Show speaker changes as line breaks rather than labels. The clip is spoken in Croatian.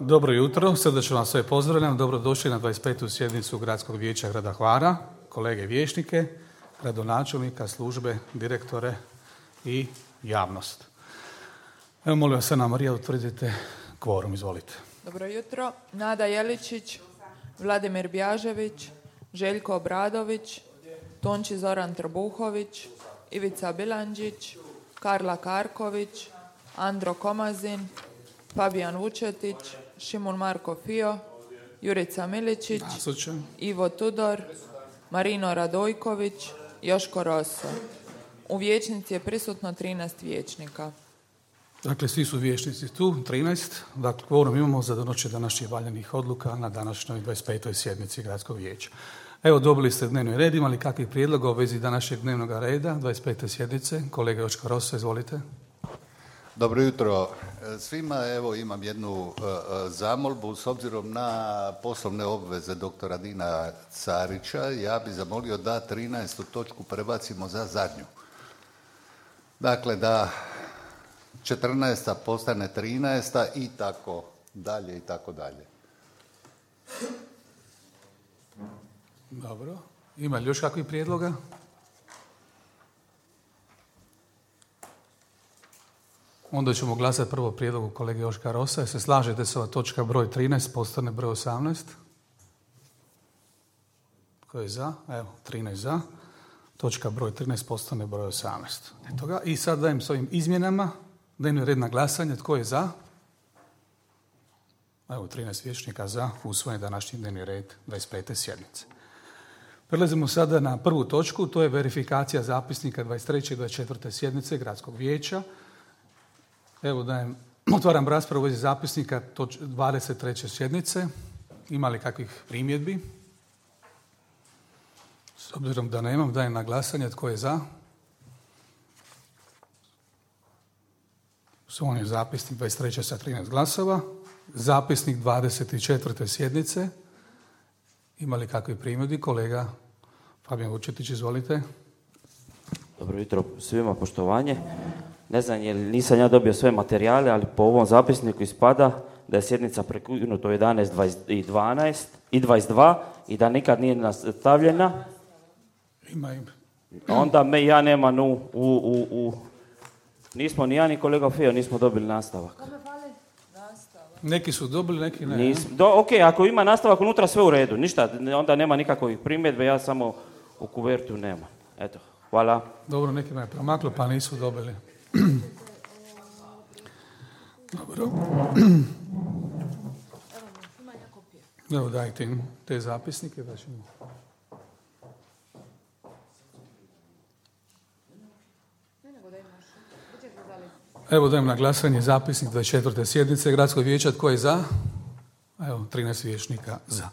Dobro jutro, srdačno vas sve pozdravljam. Dobrodošli na 25. sjednicu Gradskog vijeća grada Hvara, kolege vijećnike, gradonačelnika, službe, direktore i javnost. Evo, molim vas, Ana Marija, utvrdite kvorum, izvolite.
Dobro jutro. Nada Jeličić, Vladimir Bjažević, Željko Obradović, Tonči Zoran Trbuhović, Ivica Bilandžić, Karla Karković, Andro Komazin, Fabijan Vučetić, Šimun Marko Fio, Jurica Miličić,
Nasučan.
Ivo Tudor, Marino Radojković, Joško Roso. U vijećnici je prisutno 13 vijećnika.
Dakle, svi su vijećnici tu, 13. Dakle, kvorum imamo za donošenje današnjih valjanih odluka na današnjoj 25. sjednici Gradskog vijeća. Evo, dobili ste dnevni red, imali kakvih prijedloga u vezi današnjeg dnevnog reda, 25. sjednice. Kolega Joško Roso, izvolite.
Dobro jutro svima. Evo, imam jednu zamolbu. S obzirom na poslovne obveze doktora Dina Carića, ja bi zamolio da 13. točku prebacimo za zadnju. Dakle, da 14. postane 13. i tako dalje i tako dalje.
Dobro. Ima li još kakvih prijedloga? Onda ćemo glasati prvo prijedlogu kolege Joška Rosa. Jel se slažete se ova točka broj 13 postane broj 18? Tko je za? Evo, 13 za. Točka broj 13 postane broj 18. Eto ga. I sad dajem s ovim izmjenama dnevni red na glasanje. Tko je za? Evo, 13 vijećnika za. Usvojen današnji dnevni red 25. sjednice. Prelazimo sada na prvu točku. To je verifikacija zapisnika 23. i 24. sjednice Gradskog vijeća. Evo, otvaram raspravu u vezi zapisnika 23. sjednice. Ima li kakvih primjedbi? S obzirom da nemam, dajem na glasanje. Tko je za? Usvojen je zapisnik 23. sa 13 glasova. Zapisnik 24. sjednice. Ima li kakvih primjedbi? Kolega Fabijan Vučetić, izvolite.
Dobro jutro svima, poštovanje. Ne znam, nisam ja dobio sve materijale, ali po ovom zapisniku ispada da je sjednica prekinuta u 11 i 12 i 22 i da nikad nije nastavljena.
Ima.
Onda ja nemam nismo ni ja ni kolega Fio nismo dobili nastavak.
Neki su dobili, neki ne.
Ok, ako ima nastavak unutra, sve u redu. Ništa, onda nema nikakvih primjedbe, ja samo u kuvertu nemam. Eto, hvala.
Dobro, nekima je promaklo pa nisu dobili. Dobro. Evo, dajte im te zapisnike da ćemo... Evo, dajem na glasanje zapisnik 24. sjednice Gradskog vijeća. Tko je za? Evo, 13 vijećnika za.